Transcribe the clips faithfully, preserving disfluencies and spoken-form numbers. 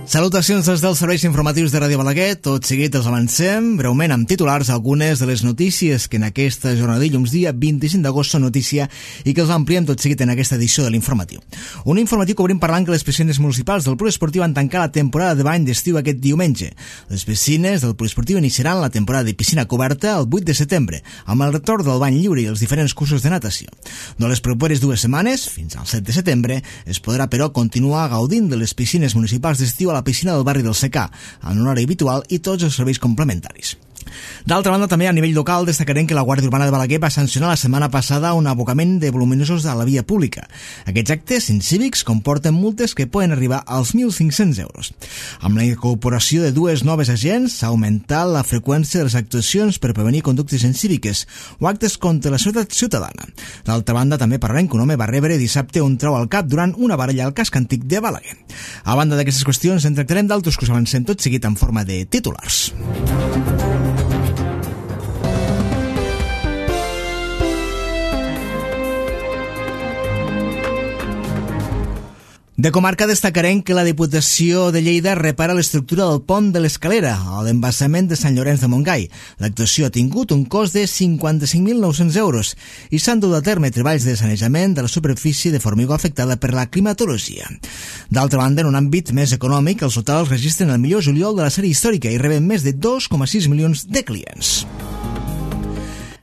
Salutacions des dels serveis informatius de Ràdio Balaguer. Tot seguit els avancem breument amb titulars algunes de les notícies que en aquesta jornada de dilluns dia vint-i-cinc d'agost són notícia i que els ampliem tot seguit en aquesta edició de l'informatiu. Un informatiu que obrim parlant que les piscines municipals del Poliesportiu van tancar la temporada de bany d'estiu aquest diumenge. Les piscines del Poliesportiu iniciaran la temporada de piscina coberta el vuit de setembre, amb el retorn del bany lliure i els diferents cursos de natació. Durant les properes dues setmanes, fins al set de setembre, es podrà però continuar gaudint de les piscines municipals d'estiu a la piscina del barri del Secà, en horari habitual i tots els serveis complementaris. D'altra banda, també a nivell local destacarem que la Guàrdia Urbana de Balaguer va sancionar la setmana passada un abocament de voluminosos a la via pública. Aquests actes incívics comporten multes que poden arribar als mil cinc-cents euros. Amb la incorporació de dues noves agents s'ha augmentat la freqüència de les actuacions per prevenir conductes incíviques o actes contra la seguretat ciutadana. D'altra banda, també parlarem que un home va rebre dissabte un trau al cap durant una baralla al casc antic de Balaguer. A banda d'aquestes qüestions, en tractarem d'altres que us avancem tot seguit en forma de titulars. De comarca destacarem que la Diputació de Lleida repara l'estructura del pont de l'Escalera, a l'embassament de Sant Llorenç de Montgai. L'actuació ha tingut un cost de cinquanta-cinc mil nou-cents euros i s'han dut a terme treballs de sanejament de la superfície de formigó afectada per la climatologia. D'altra banda, en un àmbit més econòmic, els hotels registren el millor juliol de la sèrie històrica i reben més de dos coma sis milions de clients.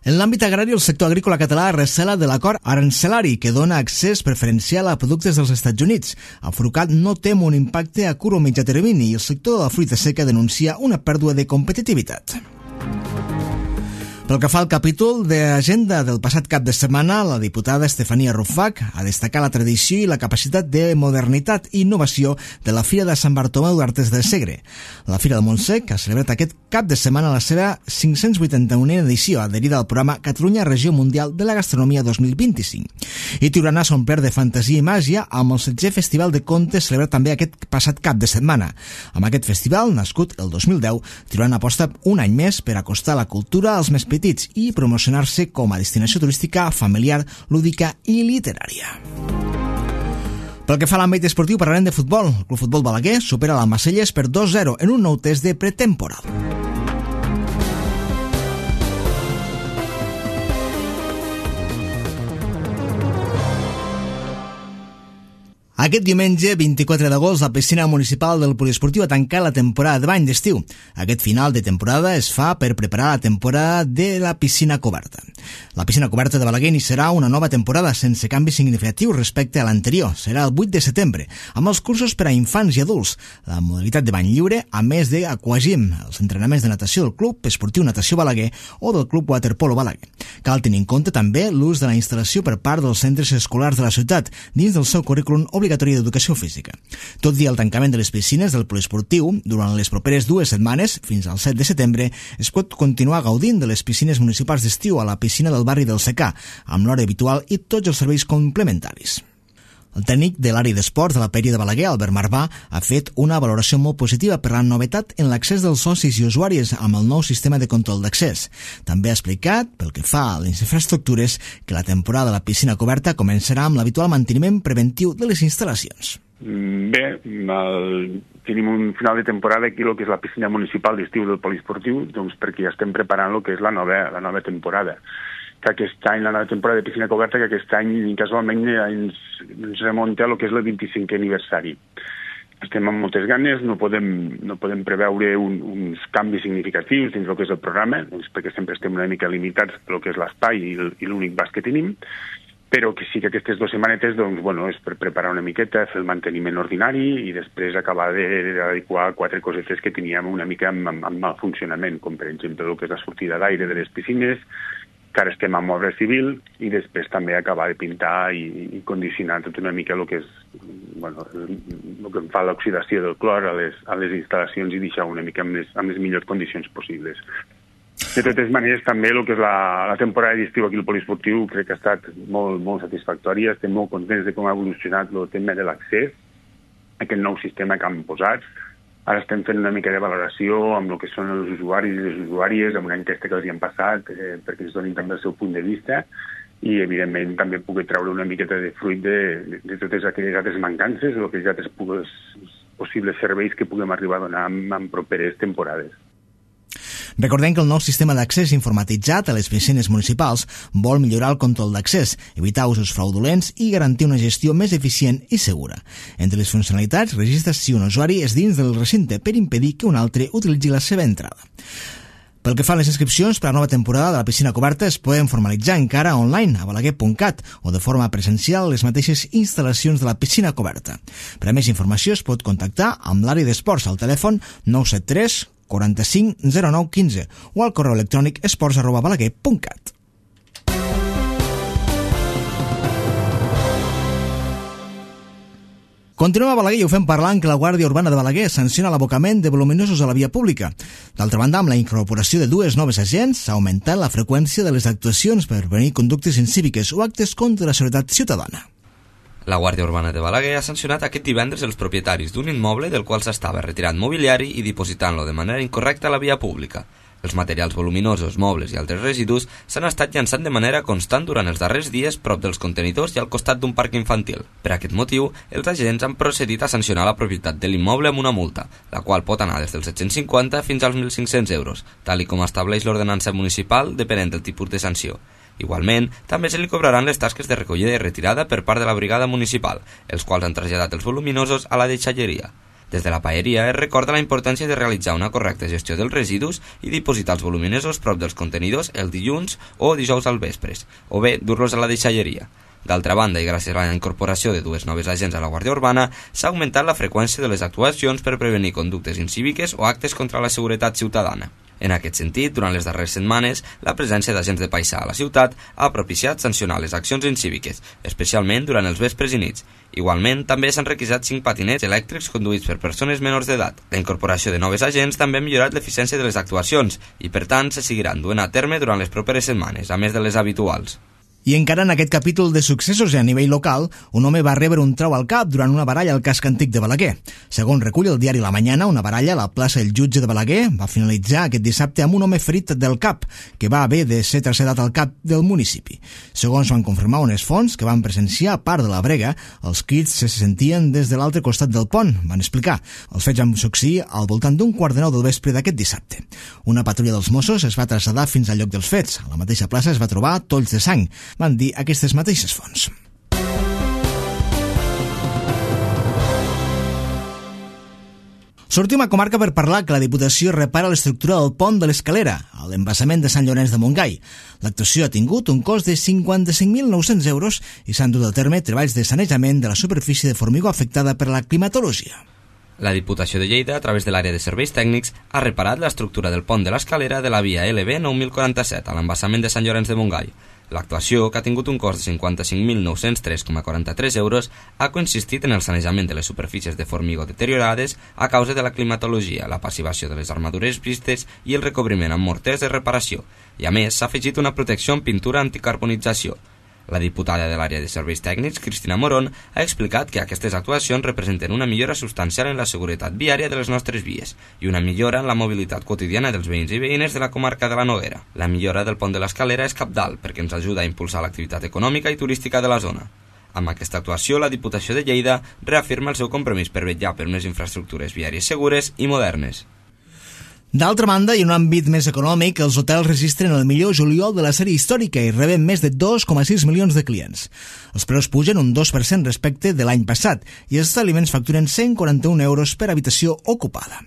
En l'àmbit agrari, el sector agrícola català recela de l'acord arancelari que dona accés preferencial a productes dels Estats Units. Afrucat no tem un impacte a curt o mitjà termini i el sector de la fruita seca denuncia una pèrdua de competitivitat. Pel que fa al capítol d'agenda del passat cap de setmana, la diputada Estefania Rufac ha destacat la tradició i la capacitat de modernitat i innovació de la Fira de Sant Bartomeu d'Artes de Segre. La Fira de Montsec ha celebrat aquest cap de setmana la seva cinc-cents vuitanta-unena edició, adherida al programa Catalunya Regió Mundial de la Gastronomia dos mil vint-i-cinc. I Tiurana s'ha omplert de fantasia i màgia amb el setzè Festival de Contes celebrat també aquest passat cap de setmana. Amb aquest festival, nascut el dos mil deu, Tiurana aposta un any més per acostar la cultura als més petits i promocionar-se com a destinació turística familiar, lúdica i literària. Pel que fa a l'àmbit esportiu, parlarem de futbol. El Club Futbol Balaguer supera l'Almacelles per dos zero en un nou test de pretemporal. Aquest diumenge, vint-i-quatre d'agost, la piscina municipal del Poliesportiu ha tancat la temporada de bany d'estiu. Aquest final de temporada es fa per preparar la temporada de la piscina coberta. La piscina coberta de Balaguer iniciarà una nova temporada sense canvis significatius respecte a l'anterior. Serà el vuit de setembre, amb els cursos per a infants i adults, la modalitat de bany lliure, a més de aquagym, els entrenaments de natació del Club Esportiu Natació Balaguer o del Club Waterpolo Balaguer. Cal tenir en compte també l'ús de la instal·lació per part dels centres escolars de la ciutat, dins del seu currículum obligatori d'educació física. Tot i el tancament de les piscines del poliesportiu, durant les properes dues setmanes, fins al set de setembre, es pot continuar gaudint de les piscines municipals d'estiu a la piscina del barri del Secà, amb l'hora habitual i tots els serveis complementaris. El tècnic de l'àrea d'esports de la Pèria de Balaguer, Albert Marvà, ha fet una valoració molt positiva per la novetat en l'accés dels socis i usuaris amb el nou sistema de control d'accés. També ha explicat, pel que fa a les infraestructures, que la temporada de la piscina coberta començarà amb l'habitual manteniment preventiu de les instal·lacions. Bé, el, tenim un final de temporada aquí, el que és la piscina municipal d'estiu del Poliesportiu, doncs perquè ja estem preparant el que és la nova, la nova temporada. Que aquest any, la nova temporada de piscina coberta, que aquest any casualment ens, ens remunta a el que és el vint-i-cinquè aniversari. Estem amb moltes ganes, no podem, no podem preveure un, uns canvis significatius dins el que és el programa, doncs perquè sempre estem una mica limitats pel que és l'espai i, i l'únic bas que tenim, però que sí que aquestes dues setmanetes doncs, bueno, és per preparar una miqueta, fer el manteniment ordinari i després acabar d'adequar quatre cosetes que teníem una mica amb, amb, amb mal funcionament, com per exemple el que és la sortida d'aire de les piscines, que ara estem amb obra civil, i després també acabar de pintar i, i condicionar tot una mica el que és, bueno, el, el que fa l'oxidació del clor a les, a les instal·lacions i deixar una mica amb les, amb les millors condicions possibles. De totes maneres, també el que és la, la temporada d'estiu aquí al Poliesportiu crec que ha estat molt, molt satisfactòria. Estem molt contents de com ha evolucionat el tema de l'accés, aquest nou sistema que han posat. Ara estem fent una mica de valoració amb el que són els usuaris i les usuàries, amb una enquesta que els hi han passat, eh, perquè ens donin també el seu punt de vista i, evidentment, també pugui treure una miqueta de fruit de, de, de totes aquelles altres mancances o aquelles altres possibles serveis que puguem arribar a donar en, en properes temporades. Recordem que el nou sistema d'accés informatitzat a les piscines municipals vol millorar el control d'accés, evitar usos fraudulents i garantir una gestió més eficient i segura. Entre les funcionalitats, registres si un usuari és dins del recinte per impedir que un altre utilitzi la seva entrada. Pel que fa a les inscripcions per a la nova temporada de la piscina coberta es poden formalitzar encara online a balaguer punt cat o de forma presencial a les mateixes instal·lacions de la piscina coberta. Per a més informació es pot contactar amb l'àrea d'esports al telèfon nou set tres quaranta-cinc zero nou quinze o al correu electrònic esports arroba balaguer punt cat. Continuem a Balaguer i ho fem parlant que la Guàrdia Urbana de Balaguer sanciona l'abocament de voluminosos a la via pública. D'altra banda, amb la incorporació de dues noves agents, s'ha augmentat la freqüència de les actuacions per prevenir conductes incíviques o actes contra la seguretat ciutadana. La Guàrdia Urbana de Balaguer ha sancionat aquest divendres els propietaris d'un immoble del qual s'estava retirant mobiliari i dipositant-lo de manera incorrecta a la via pública. Els materials voluminosos, mobles i altres residus s'han estat llançant de manera constant durant els darrers dies prop dels contenidors i al costat d'un parc infantil. Per aquest motiu, els agents han procedit a sancionar la propietat de l'immoble amb una multa, la qual pot anar des dels set-cents cinquanta fins als mil cinc-cents euros, tal i com estableix l'ordenança municipal depenent del tipus de sanció. Igualment, també se li cobraran les tasques de recollida i retirada per part de la brigada municipal, els quals han traslladat els voluminosos a la deixalleria. Des de la paeria es recorda la importància de realitzar una correcta gestió dels residus i dipositar els voluminosos prop dels contenidors el dilluns o dijous al vespres, o bé dur-los a la deixalleria. D'altra banda, i gràcies a la incorporació de dues noves agents a la Guàrdia Urbana, s'ha augmentat la freqüència de les actuacions per prevenir conductes incíviques o actes contra la seguretat ciutadana. En aquest sentit, durant les darreres setmanes, la presència d'agents de paisà a la ciutat ha propiciat sancionar les accions incíviques, especialment durant els vespres i nits. Igualment, també s'han requisat cinc patinets elèctrics conduïts per persones menors d'edat. La incorporació de noves agents també ha millorat l'eficiència de les actuacions i, per tant, se seguiran duent a terme durant les properes setmanes, a més de les habituals. I encara en aquest capítol de successos a nivell local, un home va rebre un trau al cap durant una baralla al casc antic de Balaguer. Segons recull el diari La Mañana, una baralla a la plaça del Jutge de Balaguer va finalitzar aquest dissabte amb un home ferit del cap, que va haver de ser traslladat al cap del municipi. Segons van confirmar unes fonts que van presenciar a part de la brega, els crits se sentien des de l'altre costat del pont, van explicar. Els fets van succeir al voltant d'un quart de nou del vespre d'aquest dissabte. Una patrulla dels Mossos es va traslladar fins al lloc dels fets. A la mateixa plaça es va trobar tolls de sang, van dir aquestes mateixes fonts. Sortim a comarca per parlar que la Diputació repara l'estructura del pont de l'Escalera, a l'embassament de Sant Llorenç de Montgai. L'actuació ha tingut un cost de cinquanta-cinc mil nou-cents euros i s'han dut a terme treballs de sanejament de la superfície de formigó afectada per la climatologia. La Diputació de Lleida, a través de l'àrea de serveis tècnics, ha reparat l'estructura del pont de l'Escalera de la via L B nou mil quaranta-set a l'embassament de Sant Llorenç de Montgai. L'actuació, que ha tingut un cost de cinquanta-cinc mil nou-cents tres coma quaranta-tres euros, ha consistit en el sanejament de les superfícies de formigó deteriorades a causa de la climatologia, la passivació de les armadures vistes i el recobriment amb morters de reparació, i a més s'ha afegit una protecció amb pintura anticarbonització. La diputada de l'àrea de serveis tècnics, Cristina Morón, ha explicat que aquestes actuacions representen una millora substancial en la seguretat viària de les nostres vies i una millora en la mobilitat quotidiana dels veïns i veïnes de la comarca de la Noguera. La millora del pont de l'Escalera és cabdal perquè ens ajuda a impulsar l'activitat econòmica i turística de la zona. Amb aquesta actuació, la Diputació de Lleida reafirma el seu compromís per vetllar per unes infraestructures viàries segures i modernes. D'altra banda, i en un àmbit més econòmic, els hotels registren el millor juliol de la sèrie històrica i reben més de dos coma sis milions de clients. Els preus pugen un dos per cent respecte de l'any passat i els establiments facturen cent quaranta-un euros per habitació ocupada.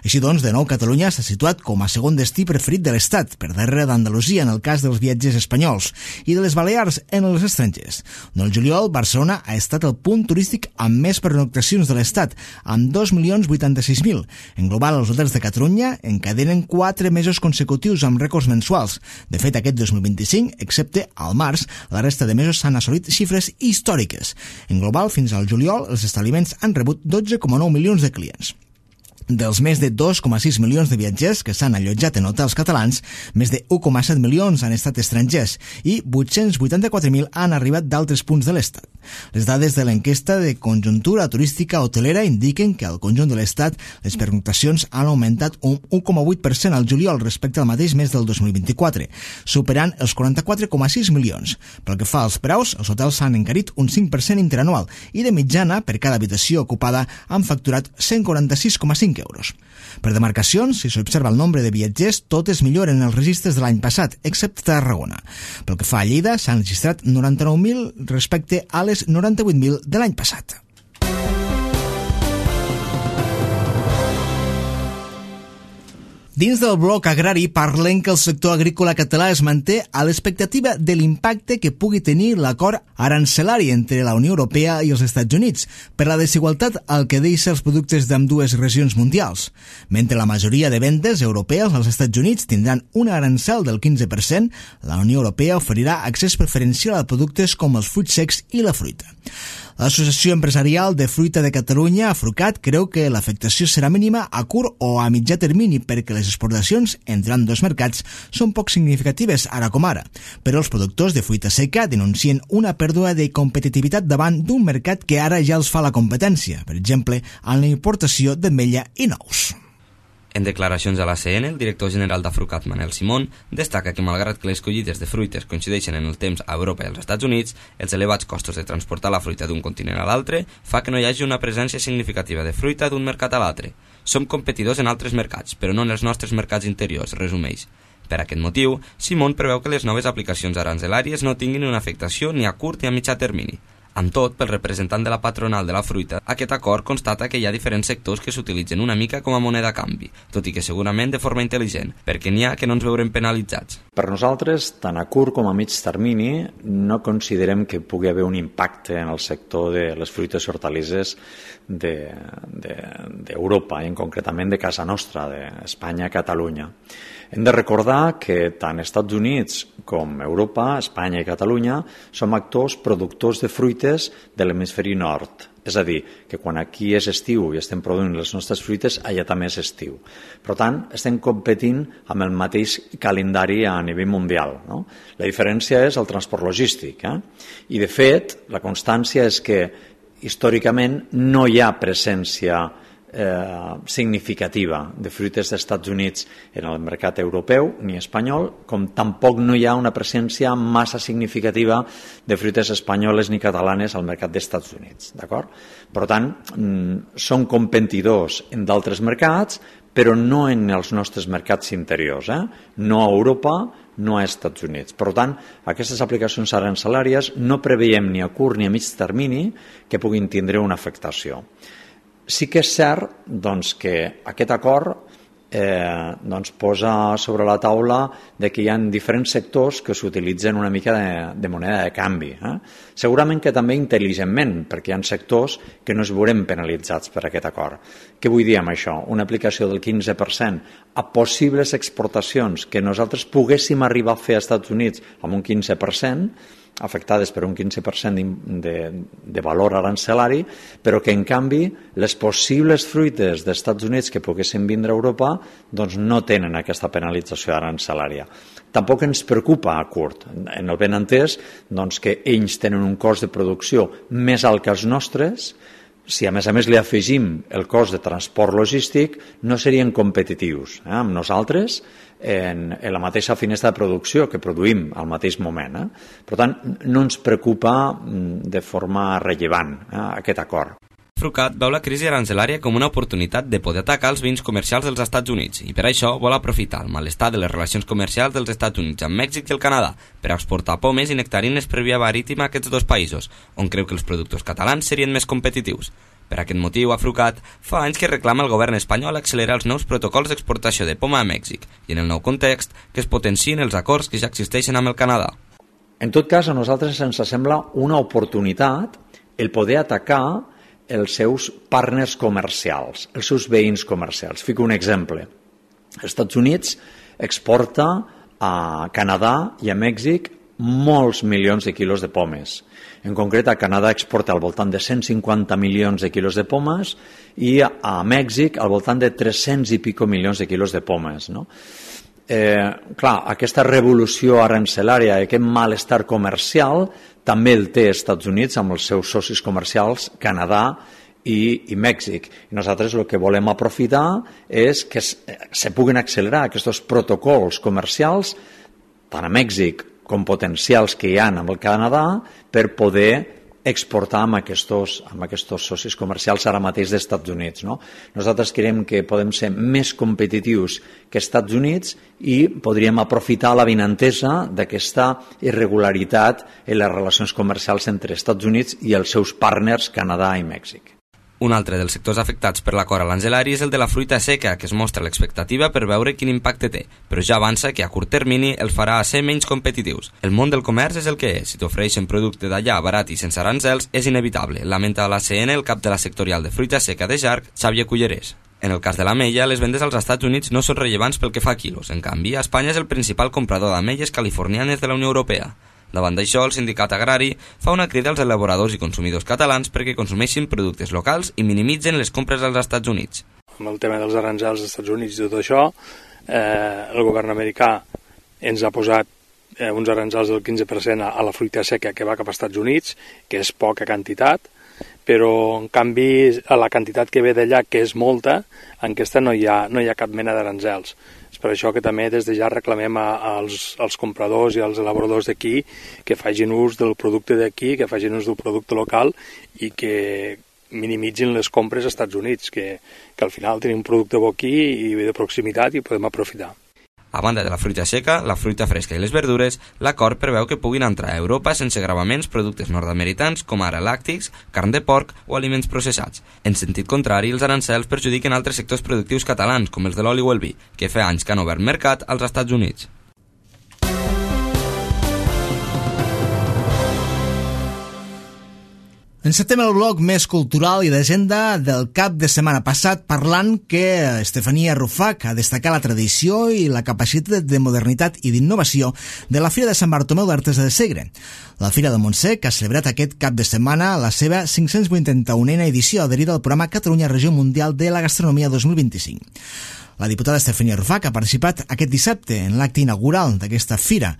Així doncs, de nou, Catalunya s'ha situat com a segon destí preferit de l'Estat, per darrere d'Andalusia en el cas dels viatgers espanyols i de les Balears en els estrangers. En el juliol, Barcelona ha estat el punt turístic amb més pernoctacions de l'Estat, amb dos milions vuitanta-sis mil. En global, els hotels de Catalunya encadenen quatre mesos consecutius amb rècords mensuals. De fet, aquest dos mil vint-i-cinc, excepte al març, la resta de mesos s'han assolit xifres històriques. En global, fins al juliol, els establiments han rebut dotze coma nou milions de clients. Dels més de dos coma sis milions de viatgers que s'han allotjat en hotels catalans, més de u coma set milions han estat estrangers i vuit-cents vuitanta-quatre mil han arribat d'altres punts de l'Estat. Les dades de l'enquesta de conjuntura turística hotelera indiquen que al conjunt de l'Estat les pernoctacions han augmentat un u coma vuit per cent al juliol respecte al mateix mes del dos mil vint-i-quatre, superant els quaranta-quatre coma sis milions. Pel que fa als preus, els hotels s'han encarit un cinc per cent interanual i de mitjana, per cada habitació ocupada, han facturat cent quaranta-sis coma cinc euros. Per demarcacions, si s'observa el nombre de viatgers, totes milloren els registres de l'any passat, excepte Tarragona. Pel que fa a Lleida, s'han registrat noranta-nou mil respecte a les noranta-vuit mil de l'any passat. Dins del bloc agrari parlem que el sector agrícola català es manté a l'expectativa de l'impacte que pugui tenir l'acord arancelari entre la Unió Europea i els Estats Units per la desigualtat al que deixa els productes d'ambdues regions mundials. Mentre la majoria de vendes europees als Estats Units tindran un arancel del quinze per cent, la Unió Europea oferirà accés preferencial a productes com els fruits secs i la fruita. L'Associació Empresarial de Fruita de Catalunya, AFRUCAT, creu que l'afectació serà mínima a curt o a mitjà termini perquè les exportacions entre ambdós mercats són poc significatives ara com ara, però els productors de fruita seca denuncien una pèrdua de competitivitat davant d'un mercat que ara ja els fa la competència, per exemple, en la importació d'ametlla i nous. En declaracions a l'A C N, el director general d'AFRUCAT, Manel Simón, destaca que malgrat que les collites de fruites coincideixen en el temps a Europa i als Estats Units, els elevats costos de transportar la fruita d'un continent a l'altre fa que no hi hagi una presència significativa de fruita d'un mercat a l'altre. Som competidors en altres mercats, però no en els nostres mercats interiors, resumeix. Per aquest motiu, Simón preveu que les noves aplicacions arancelàries no tinguin una afectació ni a curt ni a mitjà termini. Amb tot, pel representant de la patronal de la fruita, aquest acord constata que hi ha diferents sectors que s'utilitzen una mica com a moneda a canvi, tot i que segurament de forma intel·ligent, perquè n'hi ha que no ens veurem penalitzats. Per nosaltres, tant a curt com a mig termini, no considerem que pugui haver un impacte en el sector de les fruites i hortalisses d'Europa, de, de, i concretament de casa nostra, d'Espanya i Catalunya. Hem de recordar que tant Estats Units com Europa, Espanya i Catalunya som actors productors de fruites de l'hemisferi nord. És a dir, que quan aquí és estiu i estem produint les nostres fruites, allà també és estiu. Per tant, estem competint amb el mateix calendari a nivell mundial, no? La diferència és el transport logístic. Eh? I, de fet, la constància és que històricament no hi ha presència Eh, significativa de fruites dels Estats Units en el mercat europeu ni espanyol, com tampoc no hi ha una presència massa significativa de fruites espanyoles ni catalanes al mercat dels Estats Units, d'acord? Per tant, mm, són competidors en d'altres mercats, però no en els nostres mercats interiors, eh? No a Europa, no a Estats Units. Per tant, aquestes aplicacions arancelàries no preveiem ni a curt ni a mig termini que puguin tindre una afectació. Sí que és cert doncs, que aquest acord eh, doncs, posa sobre la taula de que hi ha diferents sectors que s'utilitzen una mica de, de moneda de canvi. Eh? Segurament que també intel·ligentment, perquè hi ha sectors que no es veurem penalitzats per aquest acord. Què vull dir amb això? Una aplicació del quinze per cent a possibles exportacions que nosaltres poguéssim arribar a fer als Estats Units amb un quinze per cent, afectades per un quinze per cent de, de valor arancelari, però que en canvi les possibles fruites dels Estats Units que poguessin vindre a Europa doncs no tenen aquesta penalització arancelària. Tampoc ens preocupa a curt, en el ben entès doncs, que ells tenen un cost de producció més alt que els nostres. Si a més a més li afegim el cost de transport logístic, no serien competitius eh, amb nosaltres en, en la mateixa finestra de producció que produïm al mateix moment. Eh? Per tant, no ens preocupa de forma rellevant eh, aquest acord. AFRUCAT veu la crisi arancelària com una oportunitat de poder atacar els vins comercials dels Estats Units i per això vol aprofitar el malestar de les relacions comercials dels Estats Units amb Mèxic i el Canadà per exportar pomes i nectarines per via marítima a aquests dos països, on creu que els productors catalans serien més competitius. Per aquest motiu, AFRUCAT fa anys que reclama al govern espanyol accelerar els nous protocols d'exportació de poma a Mèxic i, en el nou context, que es potenciïn els acords que ja existeixen amb el Canadà. En tot cas, a nosaltres ens sembla una oportunitat el poder atacar els seus partners comercials, els seus veïns comercials. Fico un exemple. Els Estats Units exporta a Canadà i a Mèxic molts milions de quilos de pomes. En concret, a Canadà exporta al voltant de cent cinquanta milions de quilos de pomes i a Mèxic al voltant de tres-cents i pico milions de quilos de pomes, no? Eh, clar, aquesta revolució arancelària, aquest malestar comercial, també el té Estats Units amb els seus socis comercials Canadà i, i Mèxic. I nosaltres el que volem aprofitar és que es, se puguin accelerar aquests protocols comercials tant a Mèxic com potencials que hi ha amb el Canadà per poder exportar amb aquests, amb aquests socis comercials ara mateix dels Estats Units. No? Nosaltres creiem que podem ser més competitius que Estats Units i podríem aprofitar l'avinentesa d'aquesta irregularitat en les relacions comercials entre Estats Units i els seus partners Canadà i Mèxic. Un altre dels sectors afectats per l'acord aranzelari és el de la fruita seca, que es mostra l'expectativa per veure quin impacte té, però ja avança que a curt termini el farà a ser menys competitius. El món del comerç és el que és. Si t'ofereixen producte d'allà barat i sense arancels, és inevitable, lamenta a l'A C N el cap de la sectorial de fruita seca de Jarc, Xavier Cullerés. En el cas de l'ametlla, les vendes als Estats Units no són rellevants pel que fa a quilos. En canvi, Espanya és el principal comprador d'ametlles californianes de la Unió Europea. Davant d'això, el sindicat agrari fa una crida als elaboradors i consumidors catalans perquè consumeixin productes locals i minimitzen les compres als Estats Units. Amb el tema dels aranzels als Estats Units i tot això, eh, el govern americà ens ha posat eh, uns aranzels del quinze per cent a, a la fruita seca que va cap als Estats Units, que és poca quantitat, però en canvi a la quantitat que ve d'allà, que és molta, en aquesta no hi ha, no hi ha cap mena d'aranzels. És per això que també des de ja reclamem a, als, als compradors i als elaboradors d'aquí que facin ús del producte d'aquí, que facin ús del producte local i que minimitzin les compres als Estats Units, que, que al final tenim un producte bo aquí i de proximitat i podem aprofitar. A banda de la fruita seca, la fruita fresca i les verdures, l'acord preveu que puguin entrar a Europa sense gravaments productes nord-americans com ara làctics, carn de porc o aliments processats. En sentit contrari, els arancels perjudiquen altres sectors productius catalans, com els de l'oli o el vi, que fa anys que han obert mercat als Estats Units. Encetem el bloc més cultural i d'agenda del cap de setmana passat parlant que Estefania Rufac ha destacat la tradició i la capacitat de modernitat i d'innovació de la Fira de Sant Bartomeu d'Artesa de Segre. La Fira de Montsec ha celebrat aquest cap de setmana la seva cinc-cents vuitanta-unena edició adherida al programa Catalunya Regió Mundial de la Gastronomia dos mil vint-i-cinc. La diputada Estefania Rufac ha participat aquest dissabte en l'acte inaugural d'aquesta fira,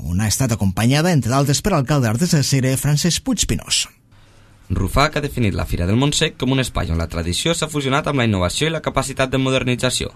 on ha estat acompanyada, entre d'altres, per l'alcalde d'Artesa de Segre, Francesc Puigpinós. Rufac ha definit la Fira del Montsec com un espai on la tradició s'ha fusionat amb la innovació i la capacitat de modernització.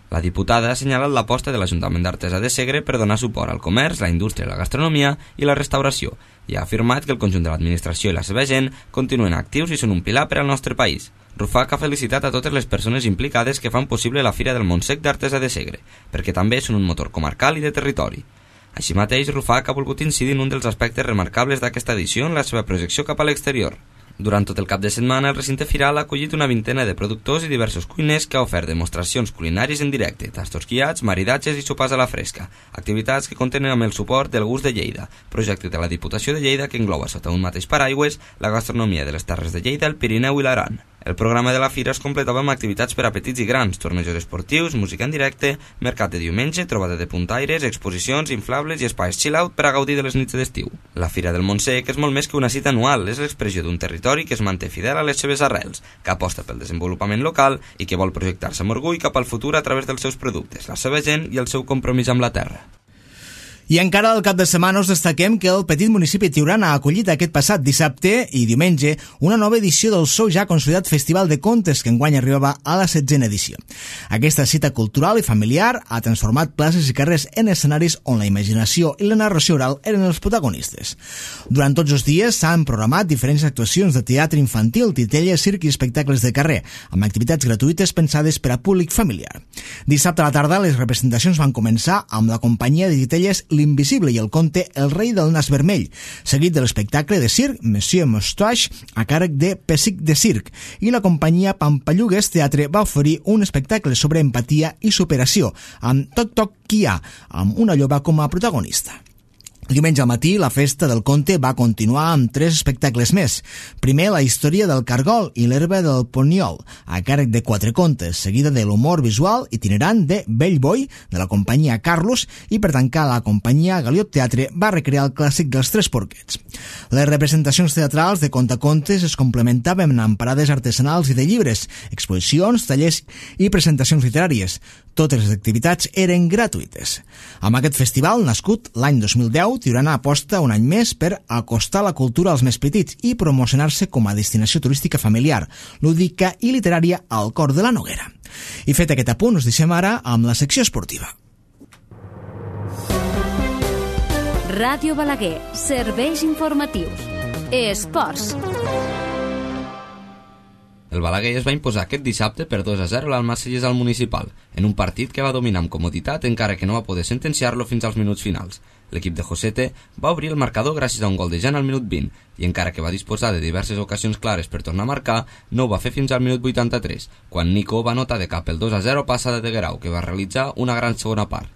La diputada ha assenyalat l'aposta de l'Ajuntament d'Artesa de Segre per donar suport al comerç, la indústria, la gastronomia i la restauració, i ha afirmat que el conjunt de l'administració i la seva gent continuen actius i són un pilar per al nostre país. Rufac ha felicitat a totes les persones implicades que fan possible la Fira del Montsec d'Artesa de Segre, perquè també són un motor comarcal i de territori. Així mateix, Rufac ha volgut incidir en un dels aspectes remarcables d'aquesta edició en la seva projecció cap a l'exterior. Durant tot el cap de setmana, el recinte firal ha acollit una vintena de productors i diversos cuiners que ha ofert demostracions culinàries en directe, tastos guiats, maridatges i sopars a la fresca, activitats que contenen amb el suport del Gust de Lleida, projecte de la Diputació de Lleida que engloba sota un mateix paraigües la gastronomia de les Terres de Lleida, el Pirineu i l'Aran. El programa de la fira es completava amb activitats per a petits i grans, tornejos esportius, música en directe, mercat de diumenge, trobada de puntaires, exposicions, inflables i espais chill-out per a gaudir de les nits d'estiu. La Fira del Montsec és molt més que una cita anual, és l'expressió d'un territori que es manté fidel a les seves arrels, que aposta pel desenvolupament local i que vol projectar-se amb orgull cap al futur a través dels seus productes, la seva gent i el seu compromís amb la terra. I encara al cap de setmana us destaquem que el petit municipi Tiurana ha acollit aquest passat dissabte i diumenge una nova edició del seu ja consolidat Festival de Contes que enguany arribava a la setzena edició. Aquesta cita cultural i familiar ha transformat places i carrers en escenaris on la imaginació i la narració oral eren els protagonistes. Durant tots els dies s'han programat diferents actuacions de teatre infantil, titelles, circ i espectacles de carrer, amb activitats gratuïtes pensades per a públic familiar. Dissabte a la tarda les representacions van començar amb la companyia de titelles L'Invisible i el conte El rei del nas vermell, seguit de l'espectacle de circ Monsieur Moustache a càrrec de Pessic de Circ, i la companyia Pampallugues Teatre va oferir un espectacle sobre empatia i superació amb Toc Toc Kia, amb una lloba com a protagonista. Diumenge al matí, la festa del conte va continuar amb tres espectacles més. Primer, la història del cargol i l'herba del poniol, a càrrec de quatre contes, seguida de l'humor visual itinerant de Bellboy, de la companyia Carlos, i per tancar, la companyia Galiot Teatre va recrear el clàssic dels Tres Porquets. Les representacions teatrals de contacontes es complementaven amb parades artesanals i de llibres, exposicions, tallers i presentacions literàries. Totes les activitats eren gratuïtes. Amb aquest festival, nascut l'any dos mil deu, Tiurana aposta un any més per acostar la cultura als més petits i promocionar-se com a destinació turística familiar, lúdica i literària al cor de la Noguera. I fet aquest apunt, us deixem ara amb la secció esportiva. Ràdio Balaguer, serveis informatius. Esports. El Balaguer es va imposar aquest dissabte per dos a zero al Marsellès al Municipal, en un partit que va dominar amb comoditat encara que no va poder sentenciar-lo fins als minuts finals. L'equip de Josete va obrir el marcador gràcies a un gol de Jan al minut vint i encara que va disposar de diverses ocasions clares per tornar a marcar, no ho va fer fins al minut vuitanta-tres, quan Nico va anotar de cap el dos a zero passada de Guerau, que va realitzar una gran segona part.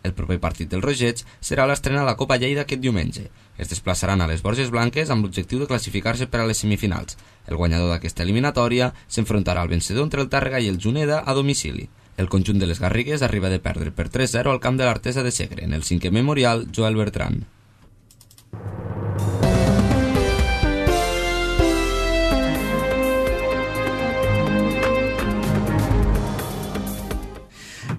El proper partit del Rogets serà l'estrena a la Copa Lleida aquest diumenge. Es desplaçaran a les Borges Blanques amb l'objectiu de classificar-se per a les semifinals. El guanyador d'aquesta eliminatòria s'enfrontarà al vencedor entre el Tàrrega i el Juneda a domicili. El conjunt de les Garrigues arriba de perdre per tres a zero al camp de l'Artesa de Segre, en el cinquè memorial Joel Bertran.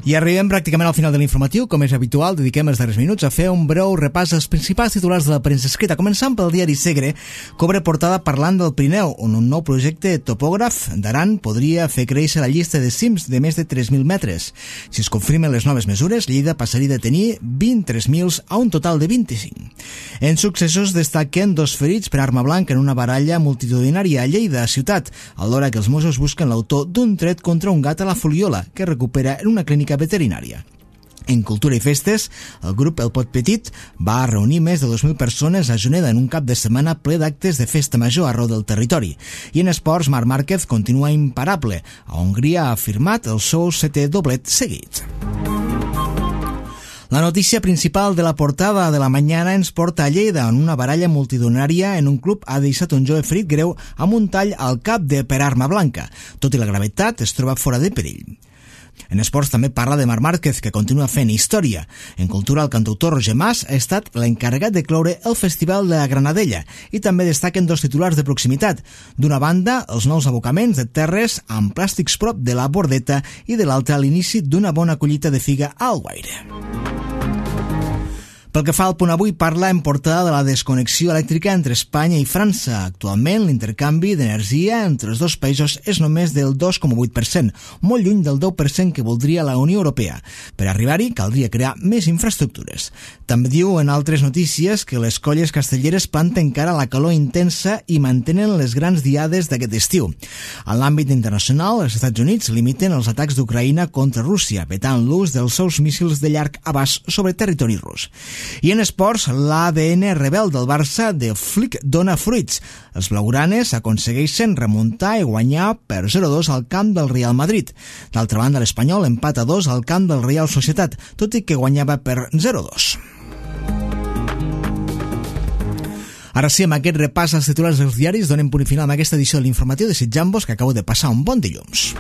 I arribem pràcticament al final de l'informatiu. Com és habitual, dediquem els darrers minuts a fer un breu repàs als principals titulars de la premsa escrita, començant pel diari Segre, que obre portada parlant del Pirineu, on un nou projecte topògraf d'Aran podria fer créixer la llista de cims de més de tres mil metres. Si es confirmen les noves mesures, Lleida passaria de tenir vint-i-tres mil a un total de vint-i-cinc. En successos destaquen dos ferits per arma blanca en una baralla multitudinària a Lleida, ciutat, alhora que els Mossos busquen l'autor d'un tret contra un gat a la Foliola, que recupera en una clínica veterinària. En Cultura i Festes, el grup El Pot Petit va reunir més de dos mil persones a Juneda en un cap de setmana ple d'actes de festa major arreu del territori. I en esports, Marc Márquez continua imparable. A Hongria ha firmat el seu setè doblet seguit. La notícia principal de la portada de la Mañana ens porta a Lleida, on una baralla multitudinària en un club ha deixat un jove ferit greu amb un tall al cap de per arma blanca. Tot i la gravetat, es troba fora de perill. En esports també parla de Marc Márquez, que continua fent història. En cultura, el cantautor Roger Mas ha estat l'encarregat de cloure el Festival de la Granadella i també destaquen dos titulars de proximitat. D'una banda, els nous abocaments de terres amb plàstics prop de la Bordeta i de l'altra, l'inici d'una bona collita de figa a Alguaire. Pel que fa al punt avui, parla en portada de la desconnexió elèctrica entre Espanya i França. Actualment, l'intercanvi d'energia entre els dos països és només del dos coma vuit per cent, molt lluny del deu per cent que voldria la Unió Europea. Per arribar-hi, caldria crear més infraestructures. També diu en altres notícies que les colles castelleres planten cara a la calor intensa i mantenen les grans diades d'aquest estiu. En l'àmbit internacional, els Estats Units limiten els atacs d'Ucraïna contra Rússia, vetant l'ús dels seus míssils de llarg abast sobre territori rus. I en esports, l'A D N rebel del Barça de Flick dona fruits. Els blaugranes aconsegueixen remuntar i guanyar per zero a dos al camp del Real Madrid. D'altra banda, l'Espanyol empata a dos al camp del Real Societat, tot i que guanyava per zero a dos. Ara sí, amb aquest repàs als titulars dels diaris, donem punt final amb aquesta edició de l'informatiu, desitjant-vos que acabeu de passar un bon dilluns.